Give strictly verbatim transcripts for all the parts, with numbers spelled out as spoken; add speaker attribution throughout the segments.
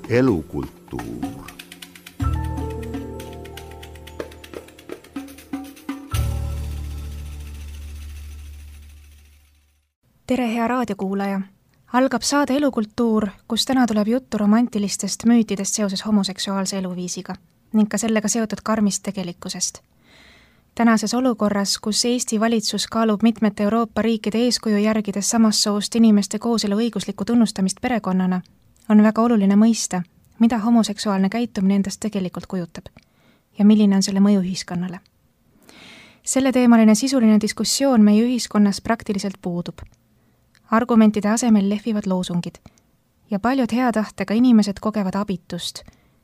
Speaker 1: Elukultuur.
Speaker 2: Tere, hea raadiokuulaja! Algab saade Elukultuur, kus täna tuleb juttu romantilistest müütidest seoses homoseksuaalse eluviisiga ning ka sellega seotud karmist tegelikkusest. Tänases olukorras, kus Eesti valitsus kaalub mitmete Euroopa riikide eeskuju järgides samast soost inimeste kooselu õiguslikku tunnustamist perekonnana, on väga oluline mõista, mida homoseksuaalne käitumine endast tegelikult kujutab ja milline on selle mõju ühiskonnale. Selle teemaline sisuline diskussioon meie ühiskonnas praktiliselt puudub. Argumentide asemel lehvivad loosungid ja paljud hea tahtega inimesed kogevad abitust,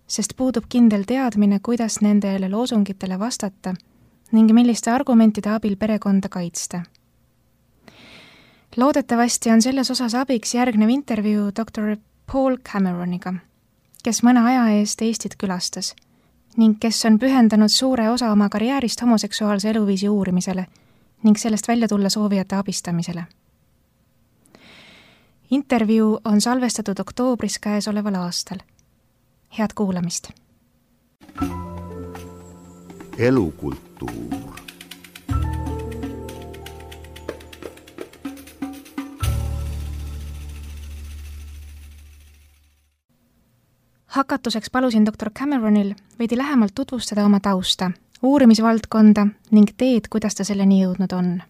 Speaker 2: sest puudub kindel teadmine, kuidas nendele loosungitele vastata ning milliste argumentide abil perekonda kaitsta. Loodetavasti on selles osas abiks järgnev intervjuu doktor Paul Cameroniga, kes mõne aja eest Eestit külastas ning kes on pühendanud suure osa oma karjäärist homoseksuaalse eluviisi uurimisele ning sellest välja tulla soovijate abistamisele. Intervjuu on salvestatud oktoobris käesoleval aastal. Head kuulamist!
Speaker 1: Elukultuur.
Speaker 2: Hakatuseks palusin doktor Cameronil veidi lähemalt tutvustada oma tausta, uurimisvaldkonda ning teed, kuidas ta selleni jõudnud on.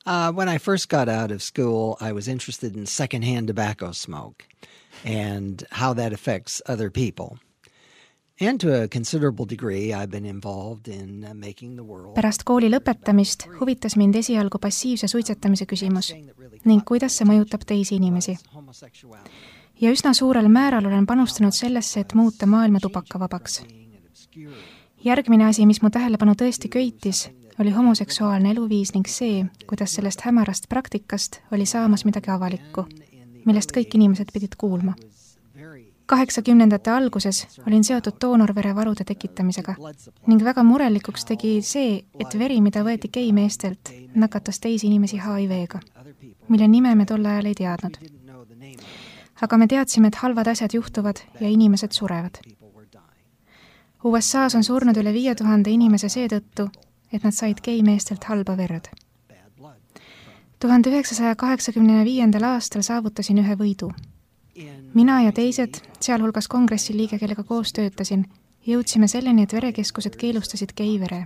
Speaker 3: Uh, when I first got out of school, I was interested in secondhand tobacco smoke and how that affects other people. And to a considerable degree, I've been involved in making the world.
Speaker 2: Pärast kooli lõpetamist huvitas mind esialgu passiivse suitsetamise küsimus ning kuidas see mõjutab teisi inimesi. Ja üsna suurel määral olen panustanud sellesse, et muuta maailma tubakavabaks. Järgmine asi, mis mu tähelepanu tõesti köitis, oli homoseksuaalne eluviis ning see, kuidas sellest hämarast praktikast oli saamas midagi avalikku, millest kõik inimesed pidid kuulma. kaheksakümnendate alguses olin seotud doonorverevarude tekitamisega ning väga murelikuks tegi see, et veri, mida võeti geimeestelt, nakatas teisi inimesi H I V-ga, mille nime me tol ajal ei teadnud. Aga me teadsime, et halvad asjad juhtuvad ja inimesed surevad. U S A-s on surnud üle viie tuhande inimese seetõttu, et nad said geimeestelt halba verd. tuhande üheksasaja kaheksakümne viiendal aastal saavutasin ühe võidu. Mina ja teised, sealhulgas kongressi liige, kellega koos töötasin, jõudsime selleni, et verekeskused keelustasid geivere.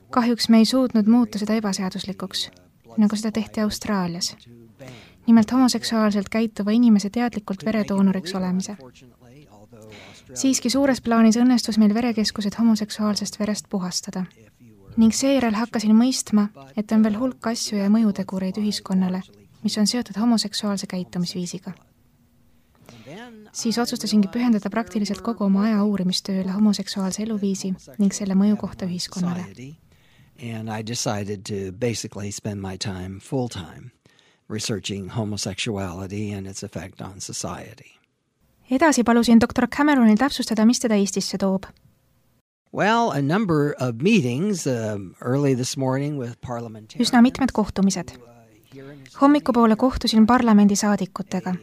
Speaker 2: Kahjuks me ei suutnud muuta seda ebaseaduslikuks, nagu seda tehti Austraalias. Nimelt homoseksuaalselt käituva inimese teadlikult veredoonoriks olemise. Siiski suures plaanis õnnestus meil verekeskused homoseksuaalsest verest puhastada. Ning seejärel hakkasin mõistma, et on veel hulk asju ja mõjutegureid ühiskonnale, mis on seotud homoseksuaalse käitumisviisiga. Siis otsustasingi pühendada praktiliselt kogu oma aja uurimistööle homoseksuaalse eluviisi ning selle mõju kohta ühiskonnale.
Speaker 3: And I decided to basically spend my time full time researching homosexuality and its effect on society.
Speaker 2: Edasi palusin doktor Cameronil täpsustada, mis teda Eestisse toob.
Speaker 3: Well, a number of meetings uh, early this morning with parliamentarians.
Speaker 2: Üsna mitmed kohtumised. Hommikupoole kohtusin parlamendi saadikutega.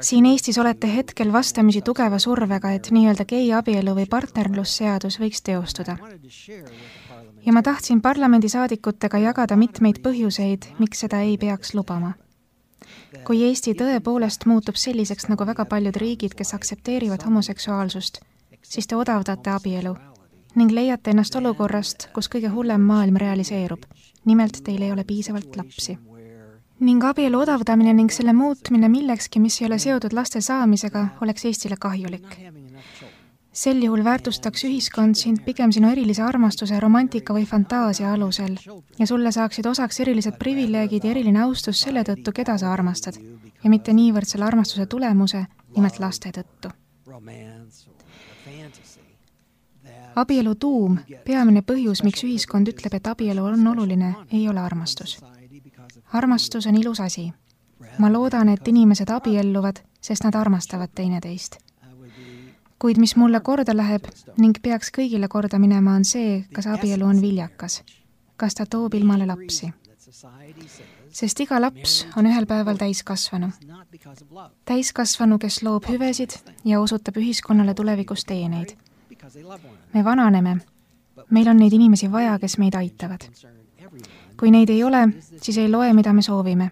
Speaker 2: Siin Eestis olete hetkel vastamisi tugeva survega, et nii-öelda gei abielu või partnerlusseadus võiks teostuda. Ja ma tahtsin parlamendi saadikutega jagada mitmeid põhjuseid, miks seda ei peaks lubama. Kui Eesti tõepoolest muutub selliseks nagu väga paljud riigid, kes aksepteerivad homoseksuaalsust, siis te odavdate abielu ning leiate ennast olukorrast, kus kõige hullem maailm realiseerub. Nimelt teil ei ole piisavalt lapsi. Ning abielu odavdamine ning selle muutmine millekski, mis ei ole seotud laste saamisega, oleks Eestile kahjulik. Sel juhul väärtustaks ühiskond sind pigem sinu erilise armastuse, romantika või fantaasia alusel ja sulle saaksid osaks erilised privileegid ja eriline austus selle tõttu, keda sa armastad ja mitte niivõrd selle armastuse tulemuse, nimelt laste tõttu. Abielu tuum, peamine põhjus, miks ühiskond ütleb, et abielu on oluline, ei ole armastus. Armastus on ilus asi. Ma loodan, et inimesed abielluvad, sest nad armastavad teineteist. Kuid mis mulle korda läheb ning peaks kõigile korda minema, on see, kas abielu on viljakas. Kas ta toob ilmale lapsi. sest iga laps on ühel päeval täiskasvanu. Täiskasvanu, kes loob hüvesid ja osutab ühiskonnale tulevikus teeneid. Me vananeme. Meil on neid inimesi vaja, kes meid aitavad. Kui neid ei ole, siis ei loe, mida me soovime.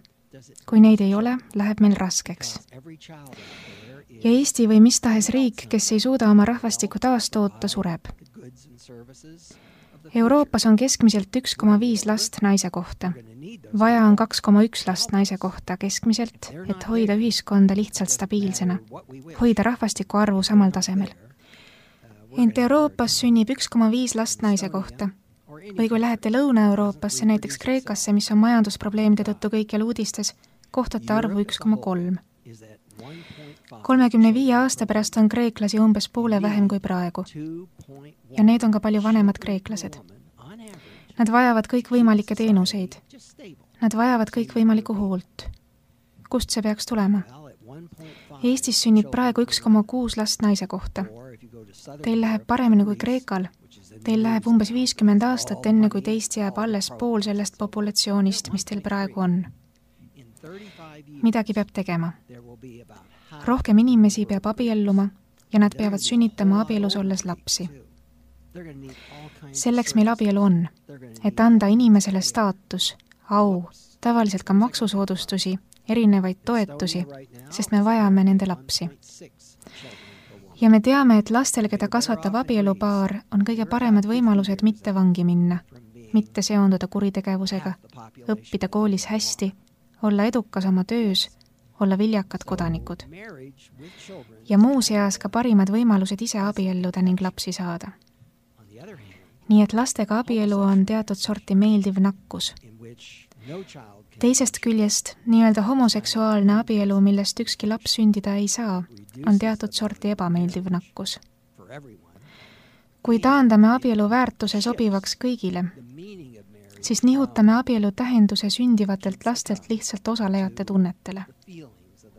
Speaker 2: Kui neid ei ole, läheb meil raskeks. Ja Eesti või mis tahes riik, kes ei suuda oma rahvastikku taastoota, sureb. Euroopas on keskmiselt üks koma viis last naise kohta. Vaja on kaks koma üks last naise kohta keskmiselt, et hoida ühiskonda lihtsalt stabiilsena, hoida rahvastiku arvu samal tasemel. Ent Euroopas sünnib üks koma viis last naise kohta. Või kui lähete Lõuna-Euroopasse, näiteks Kreekasse, mis on majandusprobleemide tõttu kõikjal uudistes, kohtate arvu üks koma kolm. kolmekümne viie aasta pärast on kreeklasi umbes poole vähem kui praegu. Ja need on ka palju vanemad kreeklased. Nad vajavad kõikvõimalikke teenuseid. Nad vajavad kõikvõimalikku hoolt. Kust see peaks tulema? Eestis sünnib praegu üks koma kuus last naise kohta. Teil läheb paremini kui Kreekal. Teil läheb umbes viiskümmend aastat enne, kui teist jääb alles pool sellest populatsioonist, mis teil praegu on. Midagi peab tegema. Rohkem inimesi peab abielluma ja nad peavad sünnitama abielus olles lapsi. Selleks meil abielu on, et anda inimesele staatus, au, tavaliselt ka maksusoodustusi, erinevaid toetusi, sest me vajame nende lapsi. Ja me teame, et lastel, keda kasvatab abielupaar, on kõige paremad võimalused mitte vangi minna, mitte seonduda kuritegevusega, õppida koolis hästi, olla edukas oma töös, olla viljakad kodanikud. Ja muu seas ka parimad võimalused ise abielluda ning lapsi saada. Nii et lastega abielu on teatud sorti meeldiv nakkus. Teisest küljest, nii-öelda homoseksuaalne abielu, millest ükski laps sündida ei saa, on teatud sorti ebameeldiv nakkus. Kui taandame abielu väärtuse sobivaks kõigile, siis nihutame abielu tähenduse sündivatelt lastelt lihtsalt osalejate tunnetele.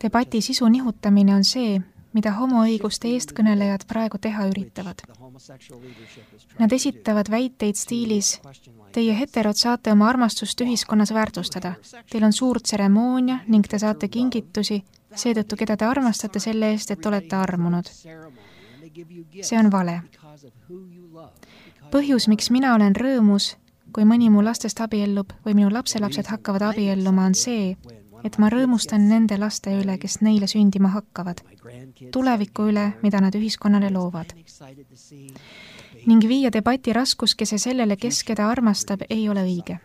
Speaker 2: Debati sisu nihutamine on see, mida homoõiguste eestkõnelejad praegu teha üritavad. Nad esitavad väiteid stiilis: teie heterod saate oma armastust ühiskonnas väärtustada. Teil on suur tseremoonia ning te saate kingitusi, seetõttu keda te armastate selle eest, et olete armunud. See on vale. Põhjus, miks mina olen rõõmus, kui mõni mu lastest abiellub või minu lapselapsed hakkavad abielluma, on see, et ma rõõmustan nende laste üle, kes neile sündima hakkavad, tuleviku üle, mida nad ühiskonnale loovad. Ning viia debati raskuskese sellele, kes keda armastab, ei ole õige.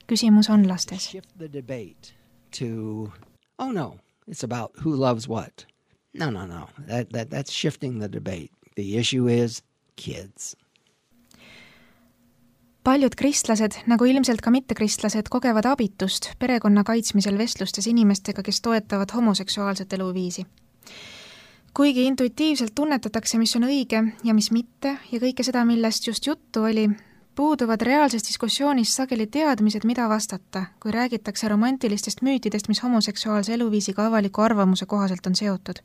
Speaker 2: Küsimus on lastes.
Speaker 3: Oh no, it's about who loves what. No, no, no, that, that, that's shifting the debate. The issue is kids.
Speaker 2: Paljud kristlased, nagu ilmselt ka mittekristlased, kogevad abitust perekonna kaitsmisel vestlustes inimestega, kes toetavad homoseksuaalset eluviisi. Kuigi intuitiivselt tunnetatakse, mis on õige ja mis mitte, ja kõike seda, millest just juttu oli, puuduvad reaalses diskussioonis sageli teadmised, mida vastata, kui räägitakse romantilistest müütidest, mis homoseksuaalse eluviisiga avaliku arvamuse kohaselt on seotud.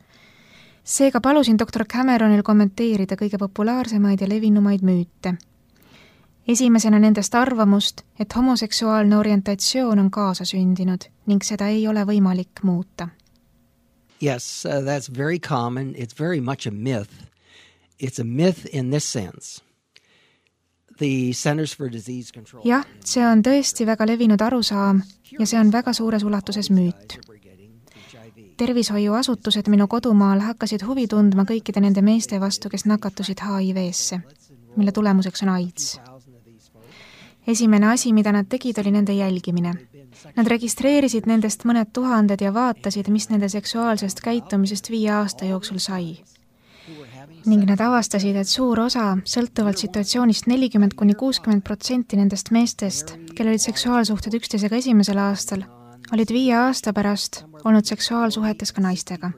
Speaker 2: Seega palusin doktor Cameronil kommenteerida kõige populaarsemaid ja levinumaid müüte. Esimesena nendest arvamust, et homoseksuaalne orientatsioon on kaasa sündinud ning seda ei ole võimalik muuta.
Speaker 3: Yes, uh, that's very common. It's very much a myth. It's a myth in this sense. The Centers for Disease Control.
Speaker 2: Jah, see on tõesti väga levinud arusaam ja see on väga suures ulatuses müüt. Tervishoiuasutused minu kodumaal hakkasid huvi tundma kõikide nende meeste vastu, kes nakatusid H I V-sse, mille tulemuseks on AIDS. Esimene asi, mida nad tegid, oli nende jälgimine. Nad registreerisid nendest mõned tuhanded ja vaatasid, mis nende seksuaalsest käitumisest viie aasta jooksul sai. Ning nad avastasid, et suur osa, sõltuvalt situatsioonist nelikümmend kuni kuuskümmend protsenti nendest meestest, kellel olid seksuaalsuhted üksteisega esimesel aastal, olid viie aasta pärast olnud seksuaalsuhetes ka naistega.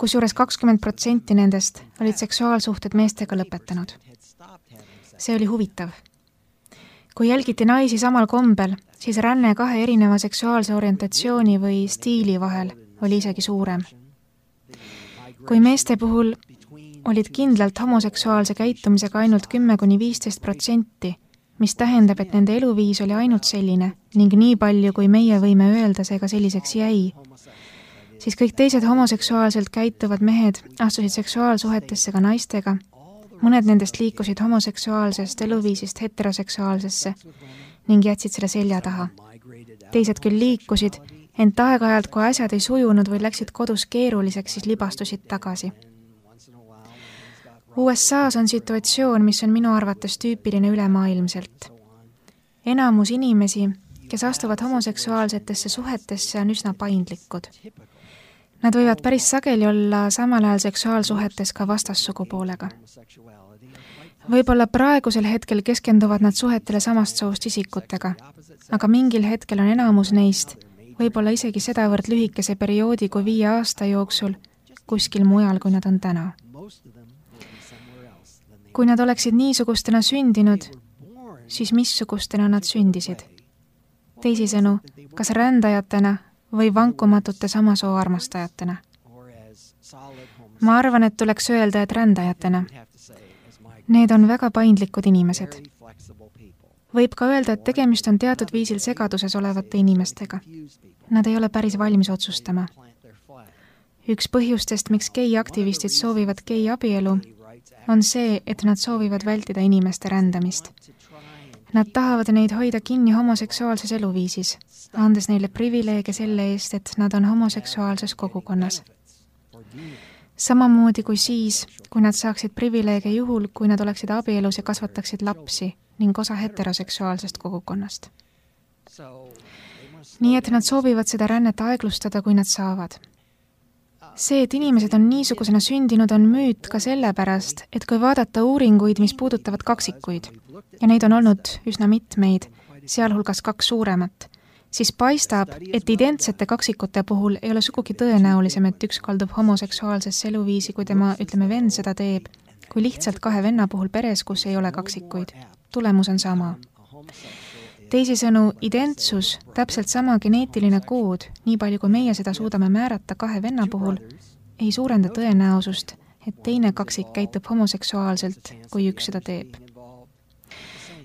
Speaker 2: Kusjuures kakskümmend protsenti nendest olid seksuaalsuhted meestega lõpetanud. See oli huvitav. Kui jälgiti naisi samal kombel, siis ränne kahe erineva seksuaalse orientatsiooni või stiili vahel oli isegi suurem. Kui meeste puhul olid kindlalt homoseksuaalse käitumisega ainult kümme kuni viisteist protsenti, mis tähendab, et nende eluviis oli ainult selline ning nii palju, kui meie võime öelda, see ka selliseks jäi, siis kõik teised homoseksuaalselt käituvad mehed astusid seksuaalsuhetesse ka naistega, mõned nendest liikusid homoseksuaalsest eluviisist heteroseksuaalsesse ning jätsid selle selja taha. Teised küll liikusid, ent aeg-ajalt, kui asjad ei sujunud või läksid kodus keeruliseks, siis libastusid tagasi. U S A-s on situatsioon, mis on minu arvates tüüpiline ülemaailmselt. Enamus inimesi, kes astuvad homoseksuaalsetesse suhetesse, on üsna paindlikud. Nad võivad päris sageli olla samal ajal seksuaalsuhetes ka vastassugupoolega. Võib-olla praegusel hetkel keskenduvad nad suhetele samast soost isikutega, aga mingil hetkel on enamus neist, võib-olla isegi sedavõrd lühikese perioodi kui viie aasta jooksul, kuskil mujal, kui nad on täna. Kui nad oleksid niisugustena sündinud, siis missugustena nad sündisid? Teisisõnu, kas rändajatena või vankumatute samasoo armastajatena? Ma arvan, et tuleks öelda, et rändajatena. Need on väga paindlikud inimesed. Võib ka öelda, et tegemist on teatud viisil segaduses olevate inimestega. Nad ei ole päris valmis otsustama. Üks põhjustest, miks gei-aktivistid soovivad gei-abielu, on see, et nad soovivad vältida inimeste rändamist. Nad tahavad neid hoida kinni homoseksuaalses eluviisis, andes neile privileege selle eest, et nad on homoseksuaalses kogukonnas. Samamoodi kui siis, kui nad saaksid privileege juhul, kui nad oleksid abielus ja kasvataksid lapsi ning osa heteroseksuaalsest kogukonnast. Nii et nad soovivad seda rännet aeglustada, kui nad saavad. See, et inimesed on niisugusena sündinud, on müüt ka sellepärast, et kui vaadata uuringuid, mis puudutavad kaksikuid, ja neid on olnud üsna mitmeid, sealhulgas kaks suuremat, siis paistab, et identsete kaksikute puhul ei ole sugugi tõenäolisem, et üks kaldub homoseksuaalsesse eluviisi, kui tema, ütleme, vend seda teeb, kui lihtsalt kahe venna puhul peres, kus ei ole kaksikuid. Tulemus on sama. Teisisõnu, identsus, täpselt sama geneetiline kood, nii palju kui meie seda suudame määrata kahe venna puhul, ei suurenda tõenäosust, et teine kaksik käitub homoseksuaalselt, kui üks seda teeb.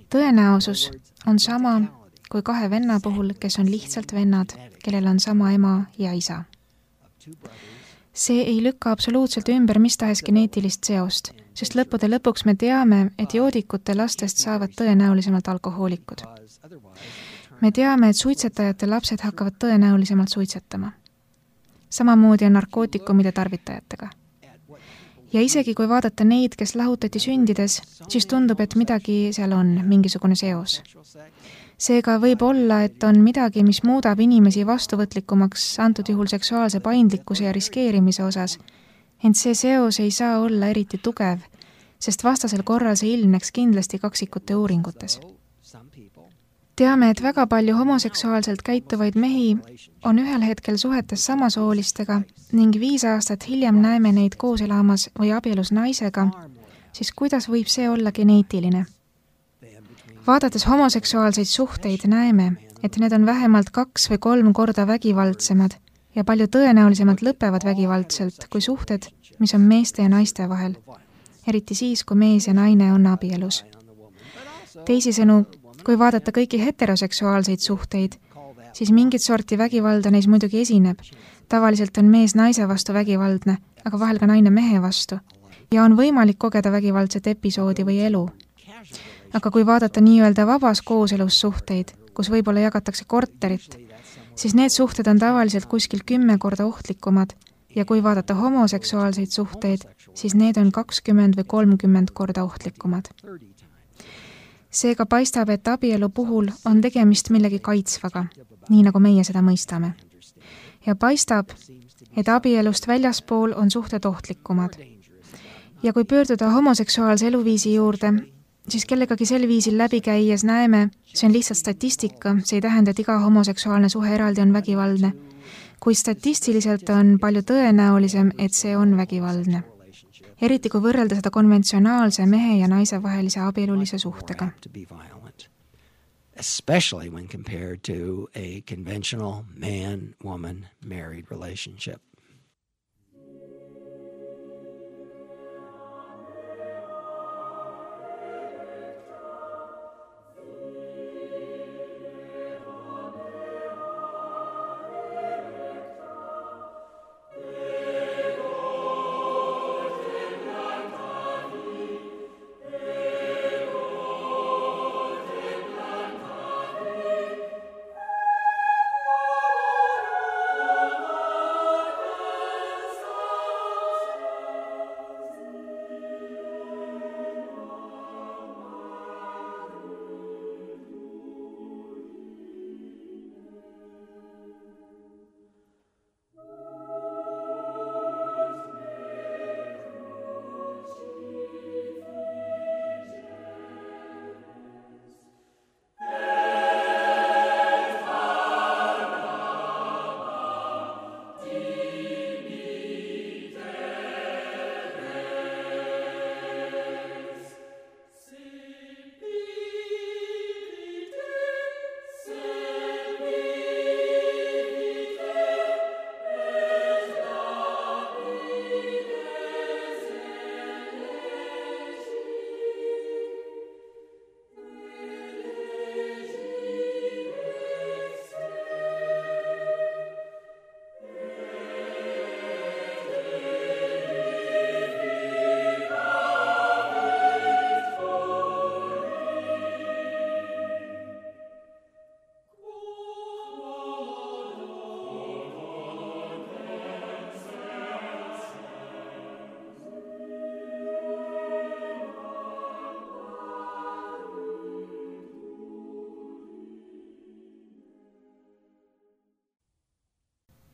Speaker 2: Tõenäosus on sama kui kahe venna puhul, kes on lihtsalt vennad, kellel on sama ema ja isa. See ei lükka absoluutselt ümber mis tahes geneetilist seost, sest lõppude lõpuks me teame, et joodikute lastest saavad tõenäolisemalt alkohoolikud. Me teame, et suitsetajate lapsed hakkavad tõenäolisemalt suitsetama. Samamoodi on narkootikumide tarvitajatega. Ja isegi kui vaadata neid, kes lahutati sündides, siis tundub, et midagi seal on, mingisugune seos. Seega võib olla, et on midagi, mis muudab inimesi vastuvõtlikumaks antud juhul seksuaalse paindlikkuse ja riskeerimise osas, ent see seos ei saa olla eriti tugev, sest vastasel korral see ilmneks kindlasti kaksikute uuringutes. Teame, et väga palju homoseksuaalselt käituvaid mehi on ühel hetkel suhetes samasoolistega ning viis aastat hiljem näeme neid koos elamas või abielus naisega, siis kuidas võib see olla geneetiline? Vaadates homoseksuaalseid suhteid näeme, et need on vähemalt kaks või kolm korda vägivaldsemad ja palju tõenäolisemalt lõpevad vägivaldselt kui suhted, mis on meeste ja naiste vahel, eriti siis, kui mees ja naine on abielus. Teisisõnu, kui vaadata kõiki heteroseksuaalseid suhteid, siis mingit sorti vägivalda neis muidugi esineb. Tavaliselt on mees naise vastu vägivaldne, aga vahel ka naine mehe vastu. Ja on võimalik kogeda vägivaldset episoodi või elu. Aga kui vaadata nii-öelda vabas kooselus suhteid, kus võib-olla jagatakse korterit, siis need suhted on tavaliselt kuskil kümme korda ohtlikumad ja kui vaadata homoseksuaalseid suhteid, siis need on kakskümmend või kolmkümmend korda ohtlikumad. Seega paistab, et abielu puhul on tegemist millegi kaitsvaga, nii nagu meie seda mõistame. Ja paistab, et abielust väljaspool on suhted ohtlikumad. Ja kui pöörduda homoseksuaalse eluviisi juurde, siis kellegagi sel viisil läbi käies näeme, see on lihtsalt statistika, see ei tähenda, et iga homoseksuaalne suhe eraldi on vägivaldne, kui statistiliselt on palju tõenäolisem, et see on vägivaldne. Eriti kui võrrelda seda konventsionaalse mehe ja naise vahelise abielulise suhtega.
Speaker 3: Especially when compared to a conventional man-woman married relationship.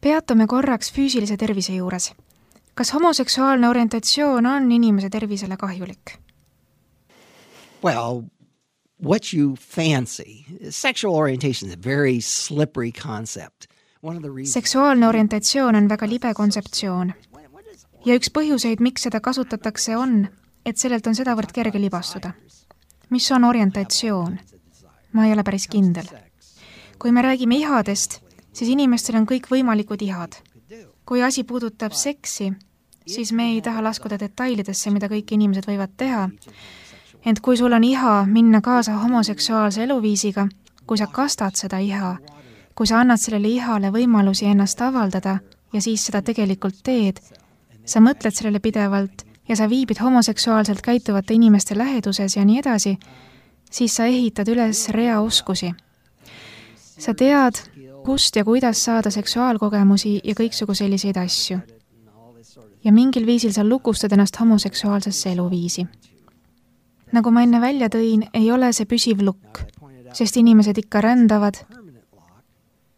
Speaker 2: Peatume korraks füüsilise tervise juures. Kas homoseksuaalne orientatsioon on inimese tervisele kahjulik?
Speaker 3: Well, what you fancy. Sexual orientation is a very slippery concept.
Speaker 2: Seksuaalne orientatsioon on väga libe kontseptsioon. Ja üks põhjuseid, miks seda kasutatakse, on, et sellelt on sedavõrd kerge libastuda. Mis on orientatsioon? Ma ei ole päris kindel. Kui me räägime ihadest, siis inimestel on kõik võimalikud ihad. Kui asi puudutab seksi, siis me ei taha laskuda detailidesse, mida kõik inimesed võivad teha. Ent kui sul on iha minna kaasa homoseksuaalse eluviisiga, kui sa kastad seda iha, kui sa annad sellele ihale võimalusi ennast avaldada ja siis seda tegelikult teed, sa mõtled sellele pidevalt ja sa viibid homoseksuaalselt käituvate inimeste läheduses ja nii edasi, siis sa ehitad üles rea oskusi. Sa tead, kust ja kuidas saada seksuaalkogemusi ja kõiksugu selliseid asju. Ja mingil viisil sa lukustad ennast homoseksuaalsesse eluviisi. Nagu ma enne välja tõin, ei ole see püsiv lukk, sest inimesed ikka rändavad,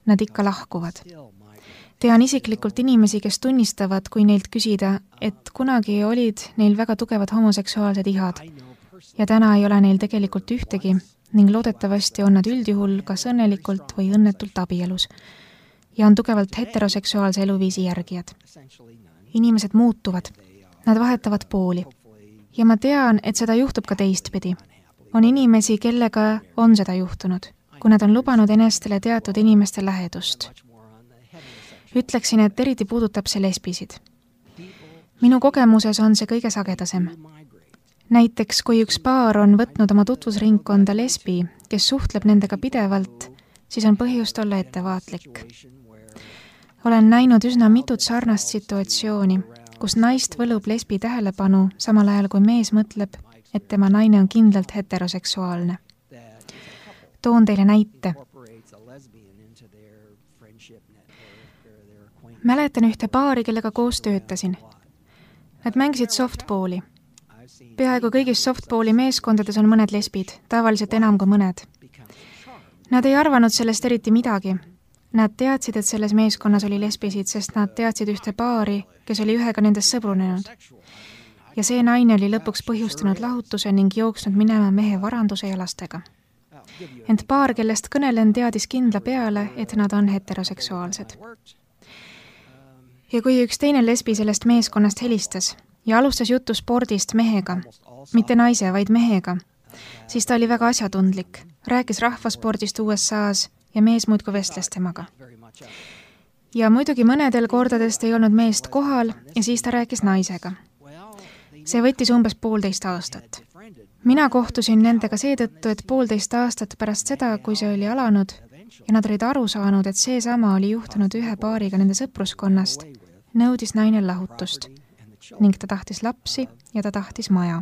Speaker 2: nad ikka lahkuvad. Tean isiklikult inimesi, kes tunnistavad, kui neilt küsida, et kunagi olid neil väga tugevad homoseksuaalsed ihad ja täna ei ole neil tegelikult ühtegi ning loodetavasti on nad üldjuhul kas õnnelikult või õnnetult abielus ja on tugevalt heteroseksuaalse eluviisi järgijad. Inimesed muutuvad, nad vahetavad pooli ja ma tean, et seda juhtub ka teistpidi. On inimesi, kellega on seda juhtunud, kui nad on lubanud enestele teatud inimeste lähedust. Ütleksin, et eriti puudutab see lesbisid. Minu kogemuses on see kõige sagedasem. Näiteks, kui üks paar on võtnud oma tutvusringkonda lesbi, kes suhtleb nendega pidevalt, siis on põhjust olla ettevaatlik. Olen näinud üsna mitut sarnast situatsiooni, kus naist võlub lesbi tähelepanu, samal ajal kui mees mõtleb, et tema naine on kindlalt heteroseksuaalne. Toon teile näite. Mäletan ühte paari, kellega koos töötasin. Nad mängisid softballi. Peaaegu kõigis softballi meeskondades on mõned lesbid, tavaliselt enam kui mõned. Nad ei arvanud sellest eriti midagi. Nad teadsid, et selles meeskonnas oli lesbisid, sest nad teadsid ühte paari, kes oli ühega nendest sõbrunenud. Ja see naine oli lõpuks põhjustanud lahutuse ning jooksnud minema mehe varanduse ja lastega. Ent paar, kellest kõnelen, teadis kindla peale, et nad on heteroseksuaalsed. Ja kui üks teine lesbi sellest meeskonnast helistas ja alustas juttu spordist mehega, mitte naise, vaid mehega, siis ta oli väga asjatundlik, rääkis rahvaspordist U S A-s ja mees muidku vestles temaga. Ja muidugi mõnedel kordadest ei olnud meest kohal ja siis ta rääkis naisega. See võttis umbes poolteist aastat. Mina kohtusin nendega seetõttu, et poolteist aastat pärast seda, kui see oli alanud, ja nad olid aru saanud, et see sama oli juhtunud ühe paariga nende sõpruskonnast, nõudis naine lahutust ning ta tahtis lapsi ja ta tahtis maja.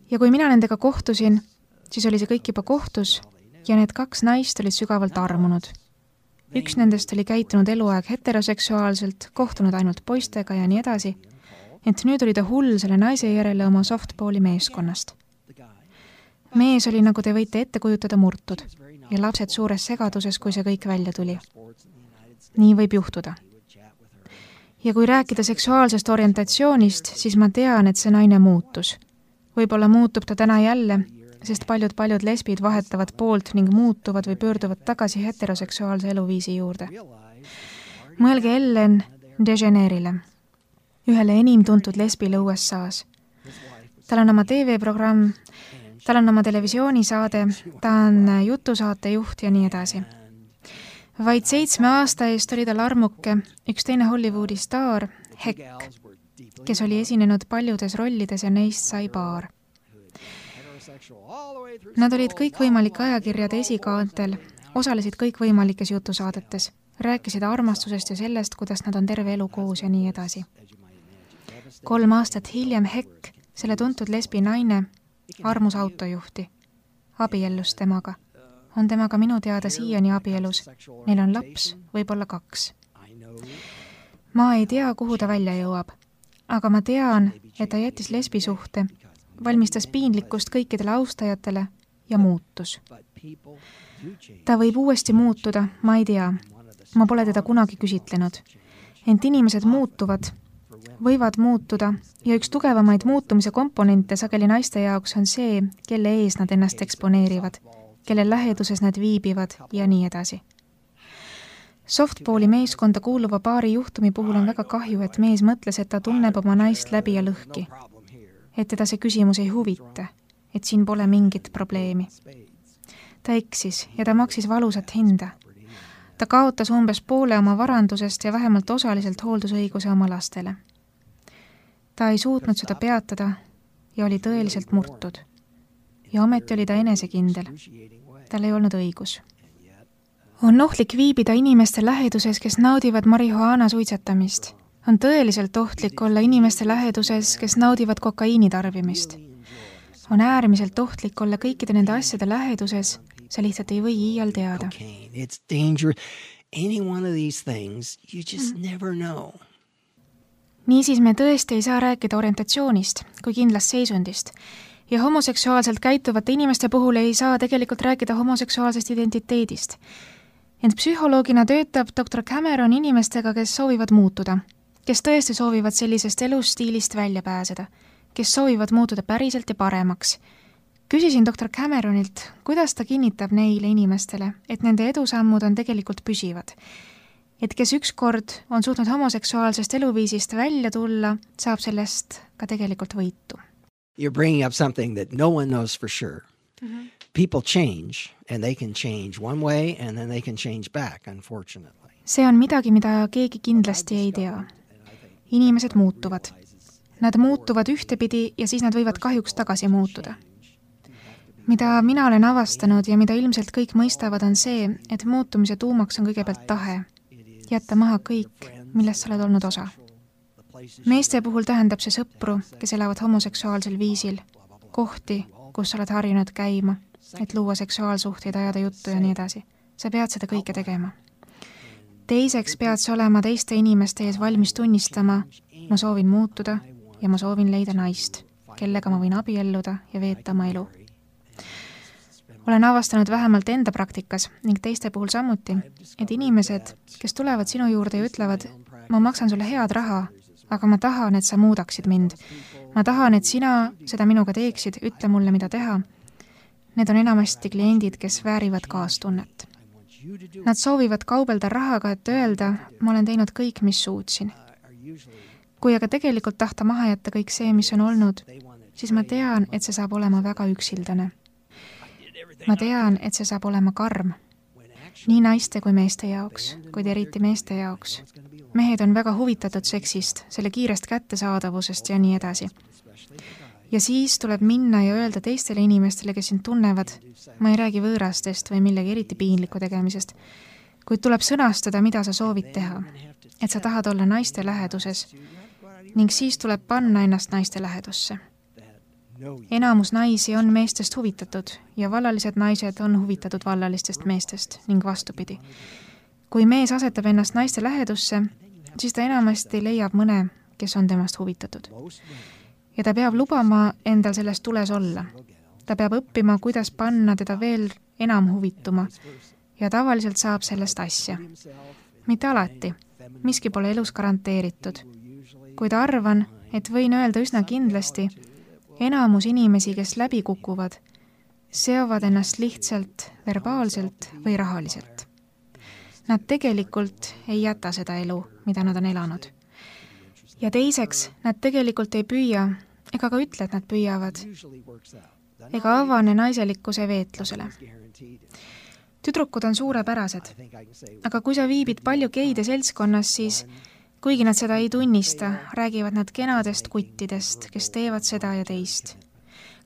Speaker 2: Ja kui mina nendega kohtusin, siis oli see kõik juba kohtus ja need kaks naist olid sügavalt armunud. Üks nendest oli käitunud eluaeg heteroseksuaalselt, kohtunud ainult poistega ja nii edasi, ent nüüd oli ta hull selle naise järele oma softballi meeskonnast. Mees oli, nagu te võite ette kujutada, murtud ja lapsed suures segaduses, kui see kõik välja tuli. Nii võib juhtuda. Ja kui rääkida seksuaalsest orientatsioonist, siis ma tean, et see naine muutus. Võib-olla muutub ta täna jälle, sest paljud-paljud lesbid vahetavad poolt ning muutuvad või pöörduvad tagasi heteroseksuaalse eluviisi juurde. Mõelge Ellen DeGeneres'ile, ühele enim tuntud lesbile U S A-s. Tal on oma T V-programm, tal on oma televisioonisaade, ta on jutusaate juht ja nii edasi. Vaid seitsme aasta eest oli tal armuke üks teine Hollywoodi staar, Heck, kes oli esinenud paljudes rollides ja neist sai paar. Nad olid kõikvõimalike ajakirjade esikaantel, osalesid kõikvõimalikes jutusaadetes, rääkisid armastusest ja sellest, kuidas nad on terve elu koos ja nii edasi. Kolm aastat hiljem Heck, selle tuntud lesbi naine, armus autojuhti, abiellus temaga. On temaga minu teada siiani abielus. Neil on laps, võib-olla kaks. Ma ei tea, kuhu ta välja jõuab, aga ma tean, et ta jättis lesbisuhte, valmistas piinlikkust kõikidele austajatele ja muutus. Ta võib uuesti muutuda, ma ei tea. ma pole teda kunagi küsitlenud. Ent inimesed muutuvad, võivad muutuda ja üks tugevamaid muutumise komponente sageli naiste jaoks on see, kelle ees nad ennast eksponeerivad, kelle läheduses nad viibivad ja nii edasi. Softballi meeskonda kuuluva paari juhtumi puhul on väga kahju, et mees mõtles, et ta tunneb oma naist läbi ja lõhki. Et teda see küsimus ei huvita, et siin pole mingit probleemi. Ta eksis ja ta maksis valusat hinda. Ta kaotas umbes poole oma varandusest ja vähemalt osaliselt hooldusõiguse oma lastele. Ta ei suutnud seda peatada ja oli tõeliselt murtud. Ja ometi oli ta enesekindel. Tal ei olnud õigus. On ohtlik viibida inimeste läheduses, kes naudivad marihuaana suitsetamist. On tõeliselt ohtlik olla inimeste läheduses, kes naudivad kokaiini tarbimist. On äärmiselt ohtlik olla kõikide nende asjade läheduses, sa lihtsalt ei või iial teada.
Speaker 3: It's dangerous. Any one of these things, you just never know.
Speaker 2: Niisiis me tõesti ei saa rääkida orientatsioonist kui kindlast seisundist ja homoseksuaalselt käituvate inimeste puhul ei saa tegelikult rääkida homoseksuaalsest identiteedist. Ent psühholoogina töötab doktor Cameron inimestega, kes soovivad muutuda, kes tõesti soovivad sellisest elustiilist välja pääseda, kes soovivad muutuda päriselt ja paremaks. Küsisin doktor Cameronilt, kuidas ta kinnitab neile inimestele, et nende edusammud on tegelikult püsivad. Et kes ükskord on suutnud homoseksuaalsest eluviisist välja tulla, saab sellest ka tegelikult võitu.
Speaker 3: You're bringing up something that no one knows for sure. Mm-hmm. People change and they can change one way and then they can change back, unfortunately.
Speaker 2: See on midagi, mida keegi kindlasti ei tea. Inimesed muutuvad. Nad muutuvad ühtepidi ja siis nad võivad kahjuks tagasi muutuda. Mida mina olen avastanud ja mida ilmselt kõik mõistavad on see, et muutumise tuumaks on kõigepealt tahe. Jätta maha kõik, millest sa oled olnud osa. Meeste puhul tähendab see sõpru, kes elavad homoseksuaalsel viisil, kohti, kus sa oled harjunud käima, et luua seksuaalsuhteid, ajada juttu ja nii edasi. Sa pead seda kõike tegema. Teiseks pead sa olema teiste inimeste ees valmis tunnistama, ma soovin muutuda ja ma soovin leida naist, kellega ma võin abielluda ja veeta oma elu. Olen avastanud vähemalt enda praktikas ning teiste puhul samuti, et inimesed, kes tulevad sinu juurde ja ütlevad, ma maksan sulle head raha, aga ma tahan, et sa muudaksid mind. Ma tahan, et sina seda minuga teeksid, ütle mulle, mida teha. Need on enamasti kliendid, kes väärivad kaastunnet. Nad soovivad kaubelda rahaga, et öelda, ma olen teinud kõik, mis suutsin. Kui aga tegelikult tahta maha jätta kõik see, mis on olnud, siis ma tean, et see saab olema väga üksildane. Ma tean, et see saab olema karm. Nii naiste kui meeste jaoks, kuid eriti meeste jaoks. Mehed on väga huvitatud seksist, selle kiirest kättesaadavusest ja nii edasi. Ja siis tuleb minna ja öelda teistele inimestele, kes sind tunnevad, ma ei räägi võõrastest või millegi eriti piinliku tegemisest, kuid tuleb sõnastada, mida sa soovid teha, et sa tahad olla naiste läheduses ning siis tuleb panna ennast naiste lähedusse. Enamus naisi on meestest huvitatud ja vallalised naised on huvitatud vallalistest meestest ning vastupidi. Kui mees asetab ennast naiste lähedusse, siis ta enamasti leiab mõne, kes on temast huvitatud. Ja ta peab lubama endal selles tules olla. Ta peab õppima, kuidas panna teda veel enam huvituma ja tavaliselt saab sellest asja. Mitte alati, miski pole elus garanteeritud. Kuid arvan, et võin öelda üsna kindlasti, enamus inimesi, kes läbi kukuvad, seovad ennast lihtsalt verbaalselt või rahaliselt. Nad tegelikult ei jäta seda elu, mida nad on elanud. Ja teiseks, nad tegelikult ei püüa, ega ka ütle, et nad püüavad, ega avane naiselikkuse veetlusele. Tüdrukud on suurepärased, aga kui sa viibid palju geide seltskonnas, siis kuigi nad seda ei tunnista, räägivad nad kenadest kuttidest, kes teevad seda ja teist.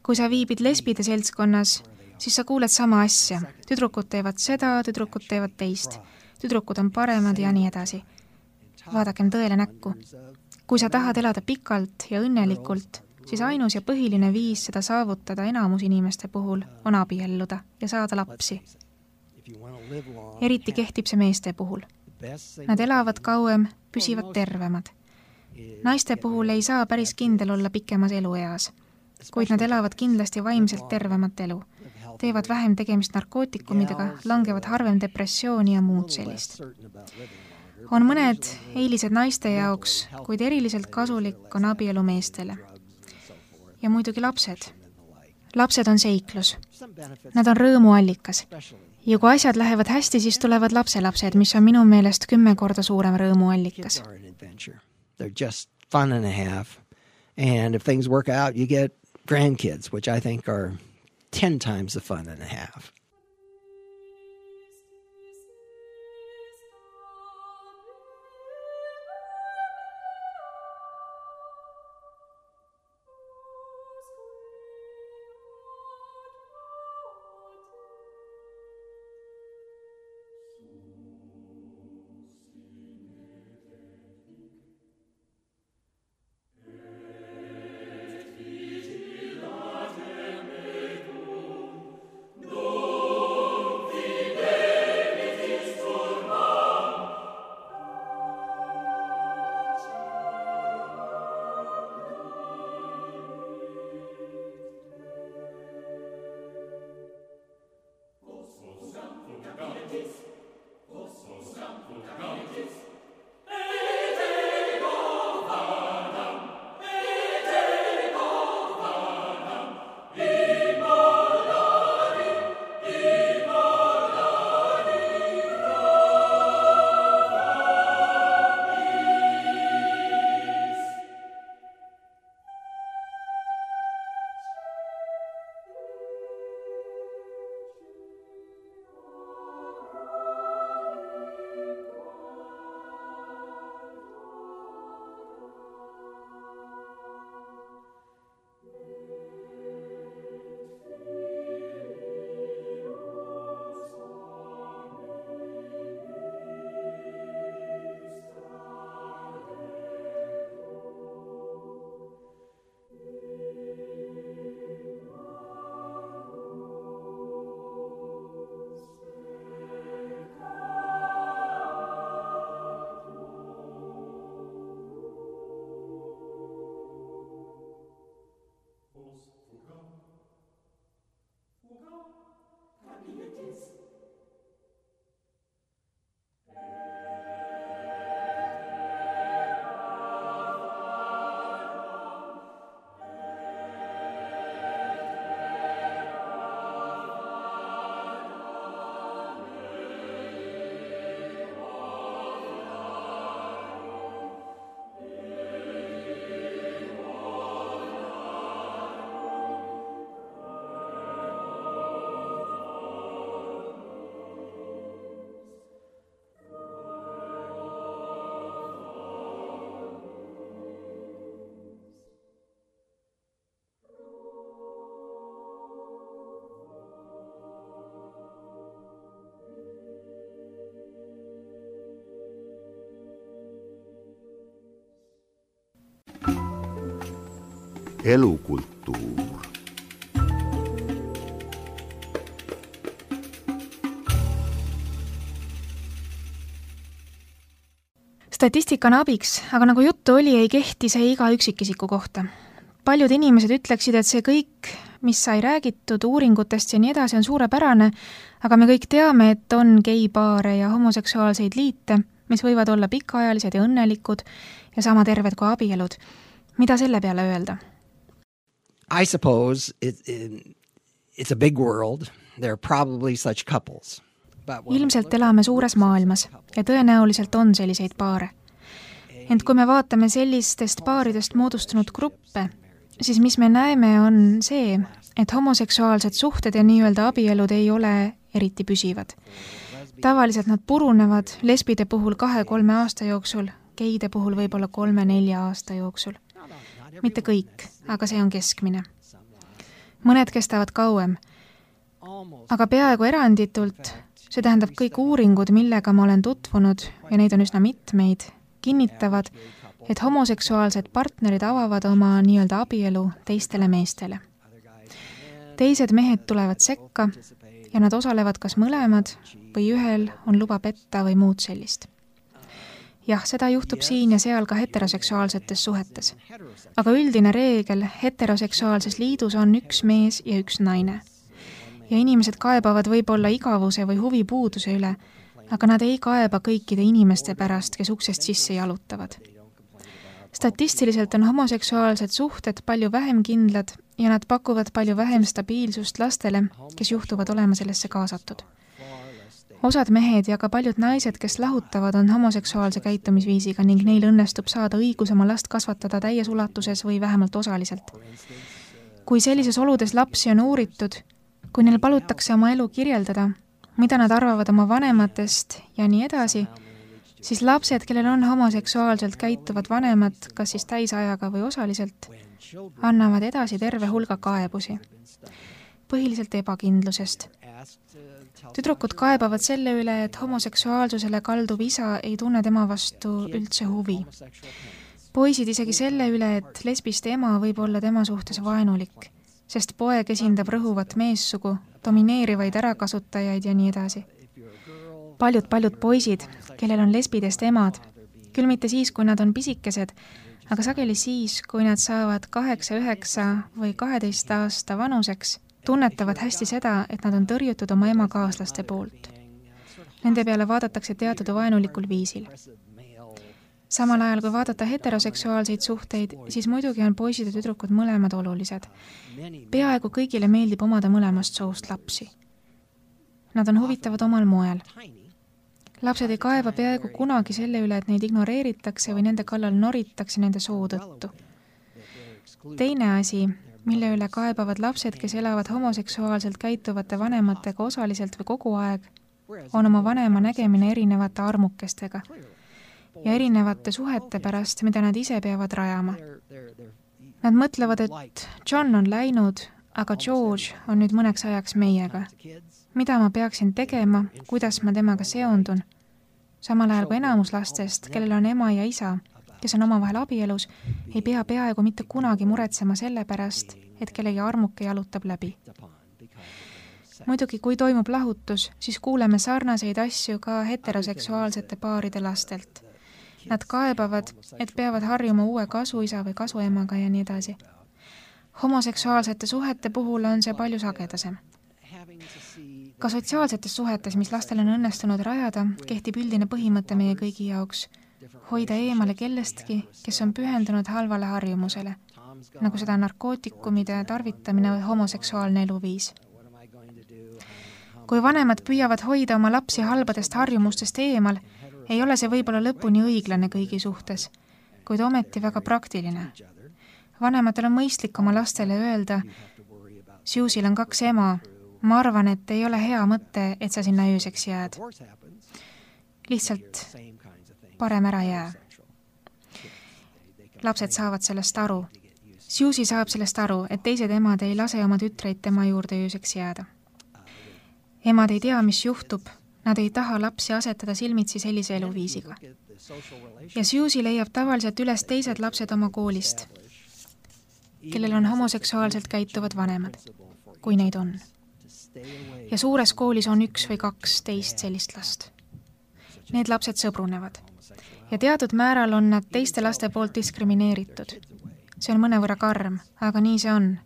Speaker 2: Kui sa viibid lesbide seltskonnas, siis sa kuuled sama asja. Tüdrukud teevad seda, tüdrukud teevad teist. Tüdrukud on paremad ja nii edasi. Vaadakem tõele näkku. Kui sa tahad elada pikalt ja õnnelikult, siis ainus ja põhiline viis seda saavutada enamus inimeste puhul on abielluda ja saada lapsi. Eriti kehtib see meeste puhul. Nad elavad kauem, püsivad tervemad. Naiste puhul ei saa päris kindel olla pikemas elueas, kuid nad elavad kindlasti vaimselt tervemat elu. teevad vähem tegemist narkootikumidega, langevad harvem depressiooni ja muud sellist. On mõned eelised naiste jaoks, kuid eriliselt kasulik on abielu meestele. Ja muidugi lapsed. Lapsed on seiklus. Nad on rõõmuallikas. Ja kui asjad lähevad hästi, siis tulevad lapselapsed, mis on minu meelest kümme korda suurem rõõmuallikas.
Speaker 3: They're just fun and a half. And if things work out, you get grandkids, which I think are ten times the fun and a half.
Speaker 1: Elukulttuur.
Speaker 2: Statistika on abiks, aga nagu juttu oli, ei kehti see iga üksikisiku kohta. Paljud inimesed ütleksid, et see kõik, mis sai räägitud uuringutest ja nii edasi, on suurepärane, aga me kõik teame, et on geipaare ja homoseksuaalseid liite, mis võivad olla pikaajalised ja õnnelikud ja sama terved kui abielud. Mida selle peale öelda?
Speaker 3: I suppose it, it, it's a big world. There are probably such couples.
Speaker 2: Ilmselt elame suures maailmas ja tõenäoliselt on selliseid paare. Ent kui me vaatame sellistest paaridest moodustunud gruppe, siis mis me näeme on see, et homoseksuaalsed suhted ja nii-öelda abielud ei ole eriti püsivad. Tavaliselt nad purunevad lesbide puhul kahe-kolme aasta jooksul, geide puhul võib-olla kolme-nelja aasta jooksul. Mitte kõik, aga see on keskmine. Mõned kestavad kauem, aga peaaegu eranditult, see tähendab kõik uuringud, millega ma olen tutvunud, ja neid on üsna mitmeid, kinnitavad, et homoseksuaalsed partnerid avavad oma nii-öelda abielu teistele meestele. Teised mehed tulevad sekka ja nad osalevad kas mõlemad või ühel on luba petta või muud sellist. Jah, seda juhtub siin ja seal ka heteroseksuaalsetes suhetes. Aga üldine reegel heteroseksuaalses liidus on üks mees ja üks naine. ja inimesed kaebavad võib-olla igavuse või huvipuuduse üle, aga nad ei kaeba kõikide inimeste pärast, kes uksest sisse jalutavad. Statistiliselt on homoseksuaalsed suhted palju vähem kindlad ja nad pakuvad palju vähem stabiilsust lastele, kes juhtuvad olema sellesse kaasatud. Osad mehed ja ka paljud naised, kes lahutavad, on homoseksuaalse käitumisviisiga ning neil õnnestub saada õigus oma last kasvatada täies ulatuses või vähemalt osaliselt. Kui sellises oludes lapsi on uuritud, kui neil palutakse oma elu kirjeldada, mida nad arvavad oma vanematest ja nii edasi, siis lapsed, kellel on homoseksuaalselt käituvad vanemad, kas siis täisajaga või osaliselt, annavad edasi terve hulga kaebusi. Põhiliselt ebakindlusest. Tüdrukud kaebavad selle üle, et homoseksuaalsusele kalduv isa ei tunne tema vastu üldse huvi. Poisid isegi selle üle, et lesbiste ema võib olla tema suhtes vaenulik, sest poeg esindab rõhuvat meessugu, domineerivaid ärakasutajaid ja nii edasi. Paljud-paljud poisid, kellel on lesbidest emad, küll mitte siis, kui nad on pisikesed, aga sageli siis, kui nad saavad kaheksa, üheksa või kaheteist aasta vanuseks, tunnetavad hästi seda, et nad on tõrjutud oma ema kaaslaste poolt. Nende peale vaadatakse teatud vaenulikul viisil. Samal ajal, kui vaadata heteroseksuaalseid suhteid, siis muidugi on poisid ja tüdrukud mõlemad olulised. Peaaegu kõigile meeldib omada mõlemast soost lapsi. Nad on huvitavad omal moel. Lapsed ei kaeba peaaegu kunagi selle üle, et neid ignoreeritakse või nende kallal noritakse nende soo tõttu. Teine asi, mille üle kaebavad lapsed, kes elavad homoseksuaalselt käituvate vanematega osaliselt või kogu aeg, on oma vanema nägemine erinevate armukestega ja erinevate suhete pärast, mida nad ise peavad rajama. Nad mõtlevad, et John on läinud, aga George on nüüd mõneks ajaks meiega. Mida ma peaksin tegema, kuidas ma temaga seondun? Samal ajal kui enamus lastest, kellel on ema ja isa, kes on omavahel abielus, ei pea peaaegu mitte kunagi muretsema selle pärast, et kellegi armuke jalutab läbi. Muidugi, kui toimub lahutus, siis kuuleme sarnaseid asju ka heteroseksuaalsete paaride lastelt. Nad kaebavad, et peavad harjuma uue kasuisa või kasuemaga ja nii edasi. Homoseksuaalsete suhete puhul on see palju sagedasem. Ka sotsiaalsetes suhetes, mis lastel on õnnestunud rajada, kehtib üldine põhimõte meie kõigi jaoks hoida eemale kellestki, kes on pühendunud halvale harjumusele, nagu seda narkootikumide tarvitamine või homoseksuaalne eluviis. Kui vanemad püüavad hoida oma lapsi halbadest harjumustest eemal, ei ole see võib-olla lõpuni õiglane kõigi suhtes, kuid ometi väga praktiline. Vanematel on mõistlik oma lastele öelda, Susil on kaks ema, ma arvan, et ei ole hea mõte, et sa sinna ööseks jääd. Lihtsalt parem ära jää. Lapsed saavad sellest aru. Susi saab sellest aru, et teised emad ei lase oma tütreid tema juurde ööseks jääda. Emad ei tea, mis juhtub. Nad ei taha lapsi asetada silmitsi sellise eluviisiga. Ja Susi leiab tavaliselt üles teised lapsed oma koolist, kellel on homoseksuaalselt käituvad vanemad, kui neid on. Ja suures koolis on üks või kaks teist sellist last. Need lapsed sõbrunevad. Ja teatud määral on nad teiste laste poolt diskrimineeritud. See on mõnevõrra karm, aga nii see on.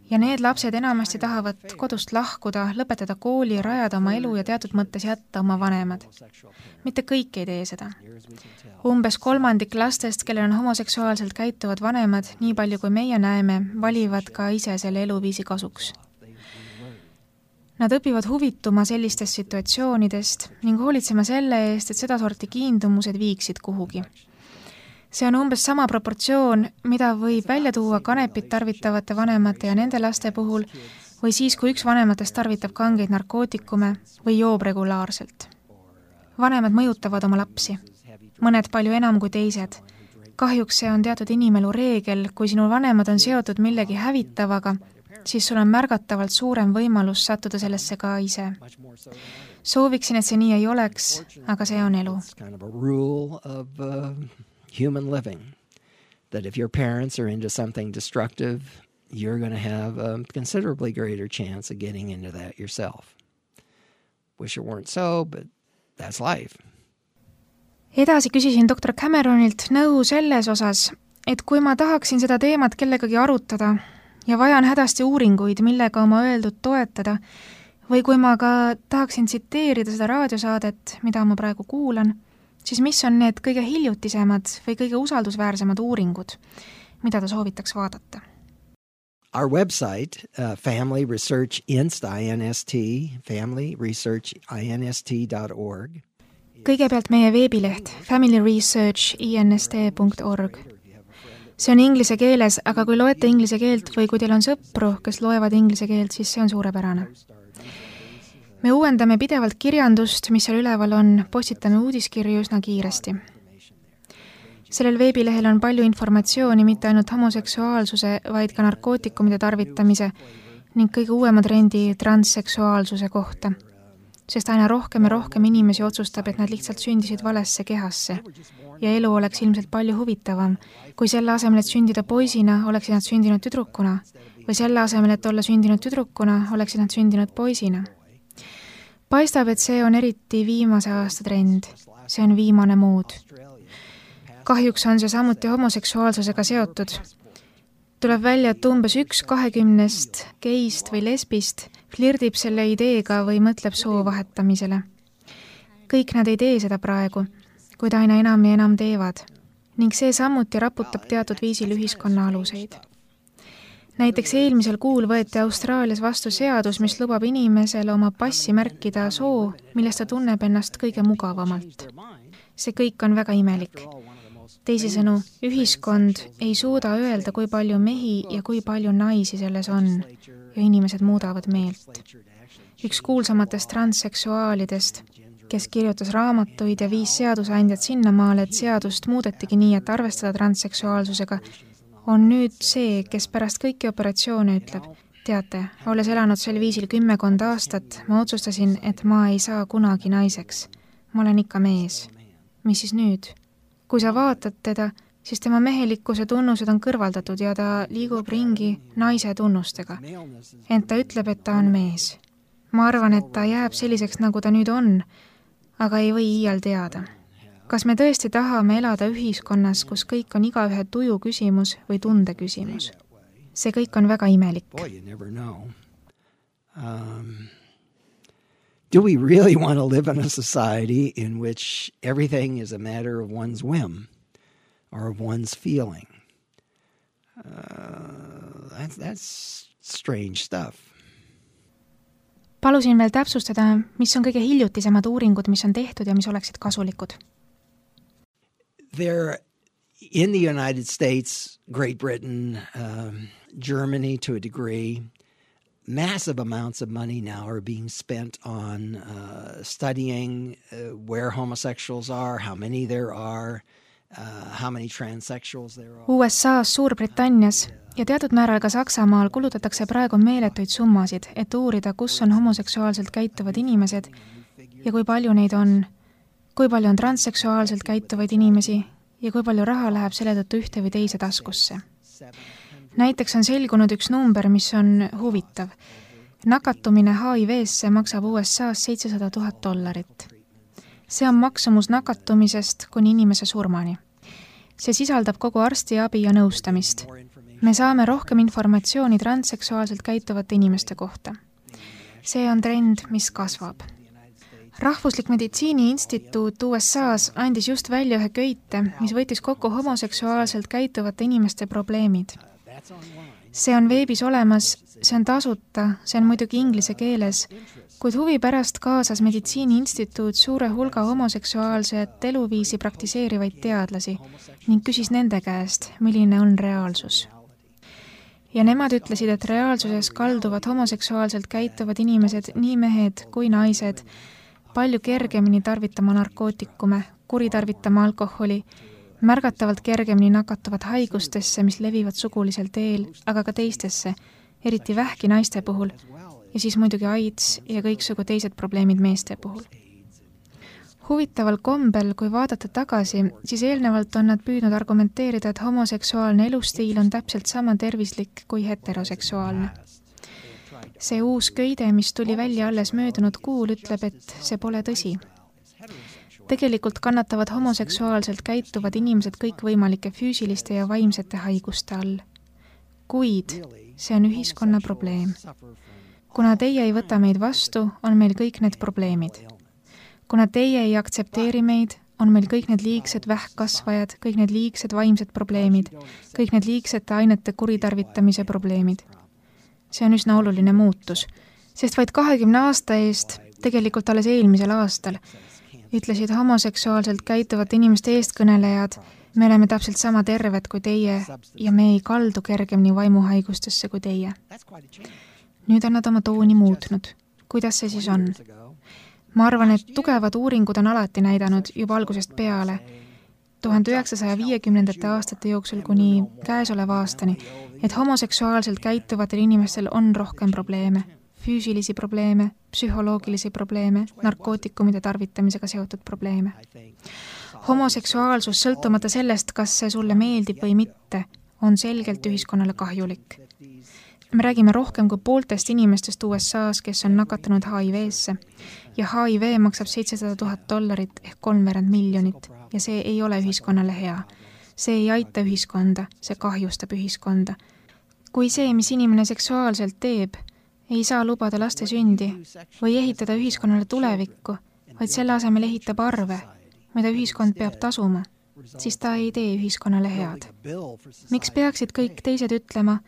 Speaker 2: Ja need lapsed enamasti tahavad kodust lahkuda, lõpetada kooli, rajada oma elu ja teatud mõttes jätta oma vanemad. Mitte kõik ei tee seda. Umbes kolmandik lastest, kellel on homoseksuaalselt käituvad vanemad, nii palju kui meie näeme, valivad ka ise selle eluviisi kasuks. Nad õpivad huvituma sellistest situatsioonidest ning hoolitsema selle eest, et seda sorti kiindumused viiksid kuhugi. See on umbes sama proportsioon, mida võib välja tuua kanepit tarvitavate vanemate ja nende laste puhul või siis, kui üks vanematest tarvitab kangeid narkootikume või joob regulaarselt. Vanemad mõjutavad oma lapsi, mõned palju enam kui teised. Kahjuks see on teatud inimelu reegel, kui sinu vanemad on seotud millegi hävitavaga, siis sul on märgatavalt suurem võimalus sattuda sellesse ka ise. Sooviksin, et see nii ei oleks, aga see on elu.
Speaker 3: Human living, that if your parents are into something destructive, you're going to have a considerably greater chance of getting into that yourself. Wish it weren't so, but that's life.
Speaker 2: Edasi küsisin doktor Cameronilt nõu selles osas, et kui ma tahaksin seda teemat kellegagi arutada, ja vajan hädasti uuringuid, millega oma öeldud toetada, või kui ma ka tahaksin tsiteerida seda raadiosaadet, mida ma praegu kuulan, siis mis on need kõige hiljutisemad või kõige usaldusväärsemad uuringud, mida ta soovitaks vaadata?
Speaker 3: Our website, uh, Family Research Inst, I N S T, family research inst dot org.
Speaker 2: Kõigepealt meie veebileht family research inst dot org. See on inglise keeles, aga kui loete inglise keelt või kui teil on sõpru, kes loevad inglise keelt, siis see on suurepärane. Me uuendame pidevalt kirjandust, mis seal üleval on, postitame uudiskirju üsna kiiresti. Sellel veebilehel on palju informatsiooni mitte ainult homoseksuaalsuse, vaid ka narkootikumide tarvitamise ning kõige uuema trendi transseksuaalsuse kohta, sest aina rohkem ja rohkem inimesi otsustab, et nad lihtsalt sündisid valesse kehasse ja elu oleks ilmselt palju huvitavam, kui selle asemel, et sündida poisina, oleksid nad sündinud tüdrukuna või selle asemel, et olla sündinud tüdrukuna, oleksid nad sündinud poisina. Paistab, et see on eriti viimase aasta trend, see on viimane mood. Kahjuks on see samuti homoseksuaalsusega seotud. Tuleb välja, et umbes üks kahekümnest geist või lesbist flirdib selle ideega või mõtleb soo vahetamisele. Kõik nad ei tee seda praegu, kuid aina enam ja enam teevad, ning see samuti raputab teatud viisil ühiskonna aluseid. Näiteks eelmisel kuul võeti Austraalias vastu seadus, mis lubab inimesele oma passi märkida soo, millest ta tunneb ennast kõige mugavamalt. See kõik on väga imelik. Teisisõnu, ühiskond ei suuda öelda, kui palju mehi ja kui palju naisi selles on, ja inimesed muudavad meelt. Üks kuulsamatest transseksuaalidest, kes kirjutas raamatuid ja viis seadusandjad sinnamaale, et seadust muudetigi nii, et arvestada transseksuaalsusega, on nüüd see, kes pärast kõiki operatsioone ütleb, teate, olles elanud sel viisil kümmekond aastat, ma otsustasin, et ma ei saa kunagi naiseks. Ma olen ikka mees. Mis siis nüüd? Kui sa vaatad teda, siis tema mehelikkuse tunnused on kõrvaldatud ja ta liigub ringi naise tunnustega. Ent ta ütleb, et ta on mees. Ma arvan, et ta jääb selliseks, nagu ta nüüd on, aga ei või iial teada. Kas me tõesti tahame elada ühiskonnas, kus kõik on igaühe tuju küsimus või tunde küsimus? See kõik on väga imelik.
Speaker 3: Um... Do we really want to live in a society in which everything is a matter of one's whim or of one's feeling? Uh, that's, that's strange stuff.
Speaker 2: Palusin veel täpsustada, mis on kõige hiljutisemad uuringud, mis on tehtud ja mis oleksid kasulikud.
Speaker 3: There, in the United States, Great Britain, um, Germany to a degree, massive amounts of money now are being spent on uh, studying uh, where homosexuals are, how many there are, uh, how many transsexuals there are.
Speaker 2: U S A-s, Suurbritannias ja teatud määral ka Saksamaal kulutatakse praegu meeletuid summasid, et uurida, kus on homoseksuaalselt käituvad inimesed ja kui palju neid on, kui palju on transseksuaalselt käituvaid inimesi ja kui palju raha läheb selle tõttu ühte või teise taskusse. Näiteks on selgunud üks number, mis on huvitav. Nakatumine H I V-sse maksab U S A-s seitsesada tuhat dollarit. See on maksumus nakatumisest kuni inimese surmani. See sisaldab kogu arstiabi ja nõustamist. Me saame rohkem informatsiooni transseksuaalselt käituvate inimeste kohta. See on trend, mis kasvab. Rahvuslik Meditsiini Instituut U S A-s andis just välja ühe köite, mis võttis kokku homoseksuaalselt käituvate inimeste probleemid. See on veebis olemas, see on tasuta, see on muidugi inglise keeles, kuid huvi pärast kaasas Meditsiini Instituut suure hulga homoseksuaalset eluviisi praktiseerivaid teadlasi ning küsis nende käest, milline on reaalsus. Ja nemad ütlesid, et reaalsuses kalduvad homoseksuaalselt käituvad inimesed, nii mehed kui naised, palju kergemini tarvitama narkootikume, kuritarvitama alkoholi, märgatavalt kergemini nakatuvad haigustesse, mis levivad sugulisel teel, aga ka teistesse, eriti vähki naiste puhul, ja siis muidugi AIDS ja kõiksugu teised probleemid meeste puhul. Huvitaval kombel, kui vaadata tagasi, siis eelnevalt on nad püüdnud argumenteerida, et homoseksuaalne elustiil on täpselt sama tervislik kui heteroseksuaalne. See uus köide, mis tuli välja alles möödunud kuul, ütleb, et see pole tõsi. Tegelikult kannatavad homoseksuaalselt käituvad inimesed kõikvõimalike füüsiliste ja vaimsete haiguste all. kuid see on ühiskonna probleem. Kuna teie ei võta meid vastu, on meil kõik need probleemid. Kuna teie ei aktsepteeri meid, on meil kõik need liigsed vähkkasvajad, kõik need liigsed vaimsed probleemid, kõik need liigsete ainete kuritarvitamise probleemid. See on üsna oluline muutus, sest vaid kahekümne aasta eest, tegelikult alles eelmisel aastal, ütlesid homoseksuaalselt käituvate inimeste eestkõnelejad, me oleme täpselt sama terved kui teie ja me ei kaldu kergemini vaimuhaigustesse kui teie. Nüüd on nad oma tooni muutnud. Kuidas see siis on? Ma arvan, et tugevad uuringud on alati näidanud juba algusest peale, tuhande üheksasaja viiekümnendate aastate jooksul kuni käesoleva aastani, et homoseksuaalselt käituvatel inimestel on rohkem probleeme, füüsilisi probleeme, psühholoogilisi probleeme, narkootikumide tarvitamisega seotud probleeme. Homoseksuaalsus, sõltumata sellest, kas see sulle meeldib või mitte, on selgelt ühiskonnale kahjulik. Me räägime rohkem kui pooltest inimestest U S A-s, kes on nakatunud H I V-sse ja H I V maksab seitsesada tuhat dollarit ehk kolmveerand miljonit ja see ei ole ühiskonnale hea. See ei aita ühiskonda, see kahjustab ühiskonda. Kui see, mis inimene seksuaalselt teeb, ei saa lubada laste sündi või ehitada ühiskonnale tulevikku, vaid selle asemel ehitab arve, mida ühiskond peab tasuma, siis ta ei tee ühiskonnale head. Miks peaksid kõik teised ütlema,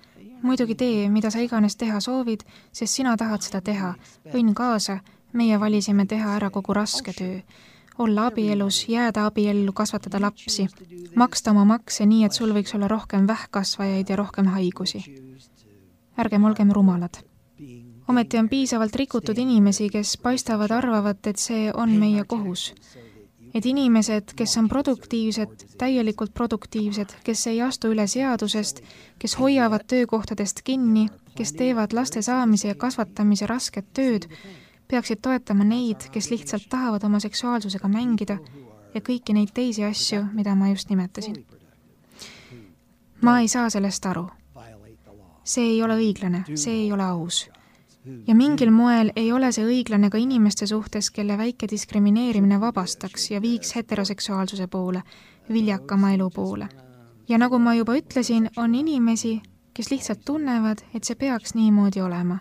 Speaker 2: muidugi tee, mida sa iganes teha soovid, sest sina tahad seda teha. Võin kaasa, meie valisime teha ära kogu raske töö. Olla abielus, jääda abiellu, kasvatada lapsi, maksta oma makse nii, et sul võiks olla rohkem vähkkasvajaid ja rohkem haigusi. Ärgem olgem rumalad. Ometi on piisavalt rikutud inimesi, kes paistavad arvavat, et see on meie kohus. Et inimesed, kes on produktiivsed, täielikult produktiivsed, kes ei astu üle seadusest, kes hoiavad töökohtadest kinni, kes teevad laste saamise ja kasvatamise rasket tööd, peaksid toetama neid, kes lihtsalt tahavad oma seksuaalsusega mängida ja kõiki neid teisi asju, mida ma just nimetasin. Ma ei saa sellest aru. See ei ole õiglane, see ei ole aus. Ja mingil moel ei ole see õiglane ka inimeste suhtes, kelle väike diskrimineerimine vabastaks ja viiks heteroseksuaalsuse poole, viljakama elu poole. Ja nagu ma juba ütlesin, on inimesi, kes lihtsalt tunnevad, et see peaks niimoodi olema.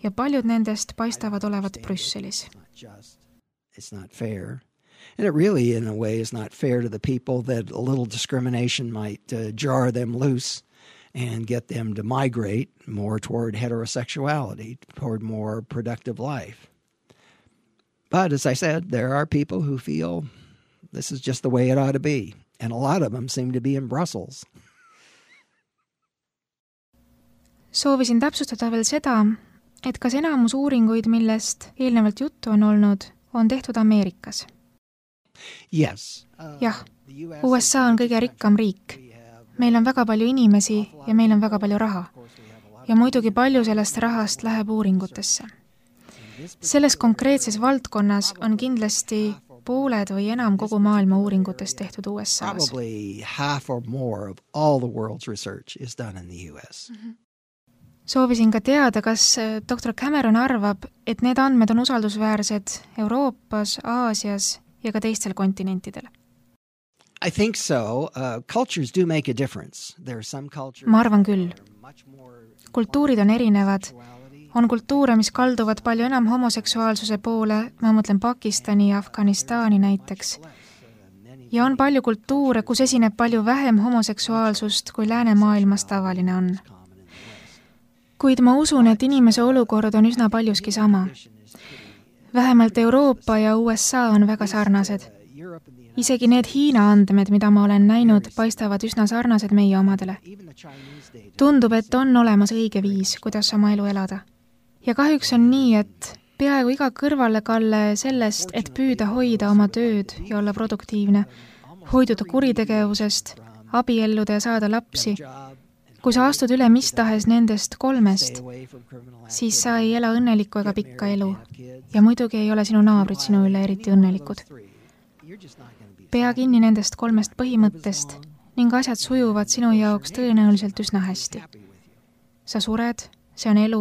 Speaker 2: Ja paljud nendest paistavad olevat Brüsselis.
Speaker 3: It's not fair. And it really, in a way, is not fair to the people that a little discrimination might uh, jar them loose and get them to migrate more toward heterosexuality, toward more productive life. But as I said, there are people who feel this is just the way it ought to be. And a lot of them seem to be in Brussels.
Speaker 2: Soovisin täpsustada veel seda, et kas enamus uuringuid, millest eelnevalt juttu on olnud, on tehtud Ameerikas.
Speaker 3: Yes.
Speaker 2: Jah, U S A on kõige rikkam riik. Meil on väga palju inimesi ja meil on väga palju raha. Ja muidugi palju sellest rahast läheb uuringutesse. Selles konkreetses valdkonnas on kindlasti pooled või enam kogu maailma uuringutest tehtud U S A-s.
Speaker 3: Probably half or more of all the world's research is done in the U S.
Speaker 2: Soovisin ka teada, kas doktor Cameron arvab, et need andmed on usaldusväärsed Euroopas, Aasias ja ka teistel kontinentidel.
Speaker 3: I think so. Uh, cultures do make a difference. There are some cultures.
Speaker 2: Ma arvan küll. Kultuurid on erinevad. On kultuure, mis kalduvad palju enam homoseksuaalsuse poole, ma mõtlen Pakistani ja Afganistani näiteks. Ja on palju kultuure, kus esineb palju vähem homoseksuaalsust, kui läänemaailmas tavaline on. Kuid ma usun, et inimese olukord on üsna paljuski sama. Vähemalt Euroopa ja U S A on väga sarnased. Isegi need Hiina andmed, mida ma olen näinud, paistavad üsna sarnased meie omadele. Tundub, et on olemas õige viis, kuidas oma elu elada. Ja kahjuks on nii, et peaaegu iga kõrvalekalle sellest, et püüda hoida oma tööd ja olla produktiivne, hoiduda kuritegevusest, abielluda ja saada lapsi. Kui sa astud üle mis tahes nendest kolmest, siis sa ei ela õnnelikku ega pikka elu. Ja muidugi ei ole sinu naabrid sinu üle eriti õnnelikud. Pea kinni nendest kolmest põhimõttest ning asjad sujuvad sinu jaoks tõenäoliselt üsna hästi. Sa sured, see on elu,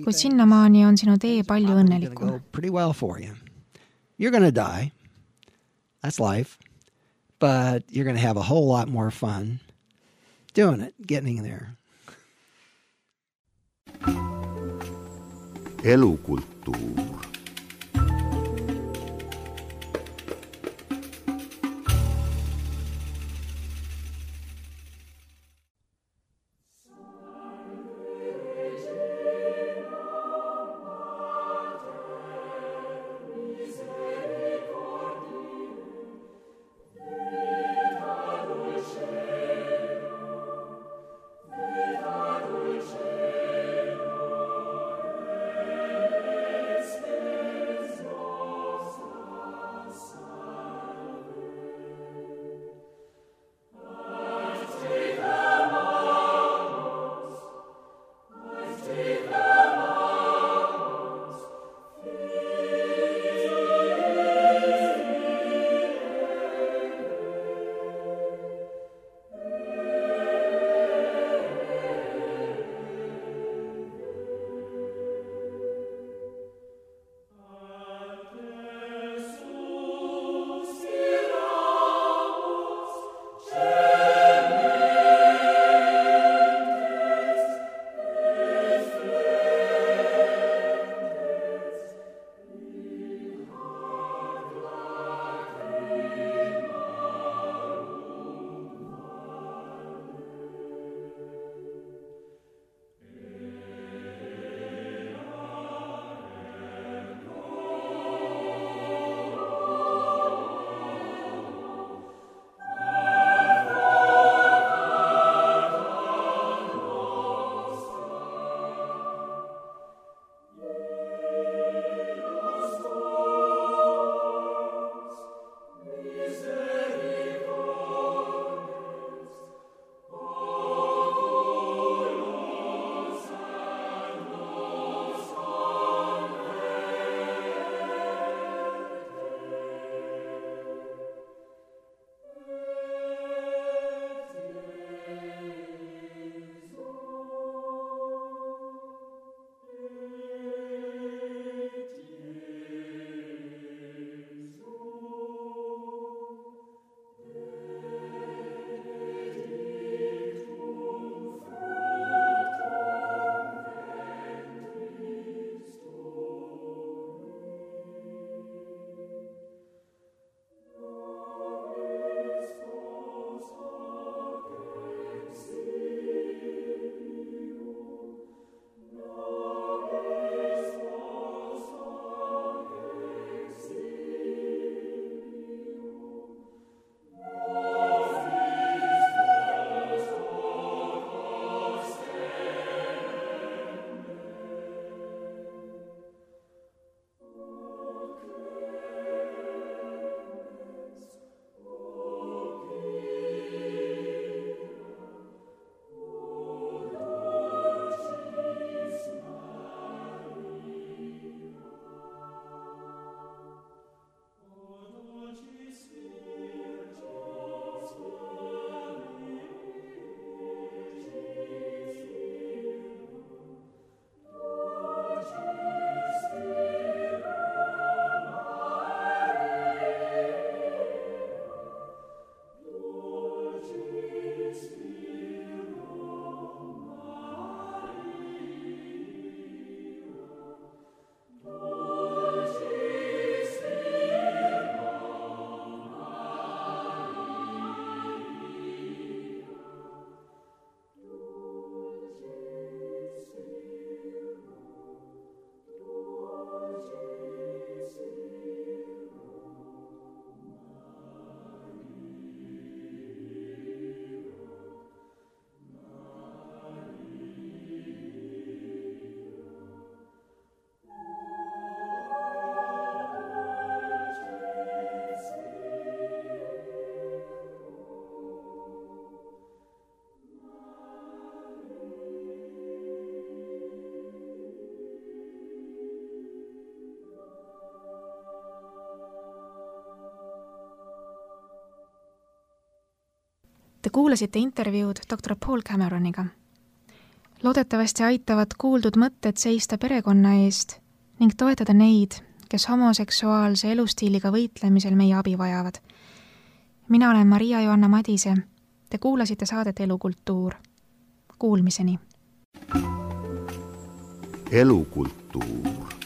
Speaker 2: kuid sinnamaani on sinu tee palju õnnelikum.
Speaker 3: You're going to die. That's life. But you're going to have a whole lot more fun doing it, getting there.
Speaker 1: Elukulttuur.
Speaker 2: Te kuulasite intervjuud doktor Paul Cameroniga. Loodetavasti aitavad kuuldud mõtted seista perekonna eest ning toetada neid, kes homoseksuaalse elustiiliga võitlemisel meie abi vajavad. Mina olen Maria Joanna Madise. Te kuulasite saadet Elukultuur. Kuulmiseni!
Speaker 1: Elukultuur. kultuur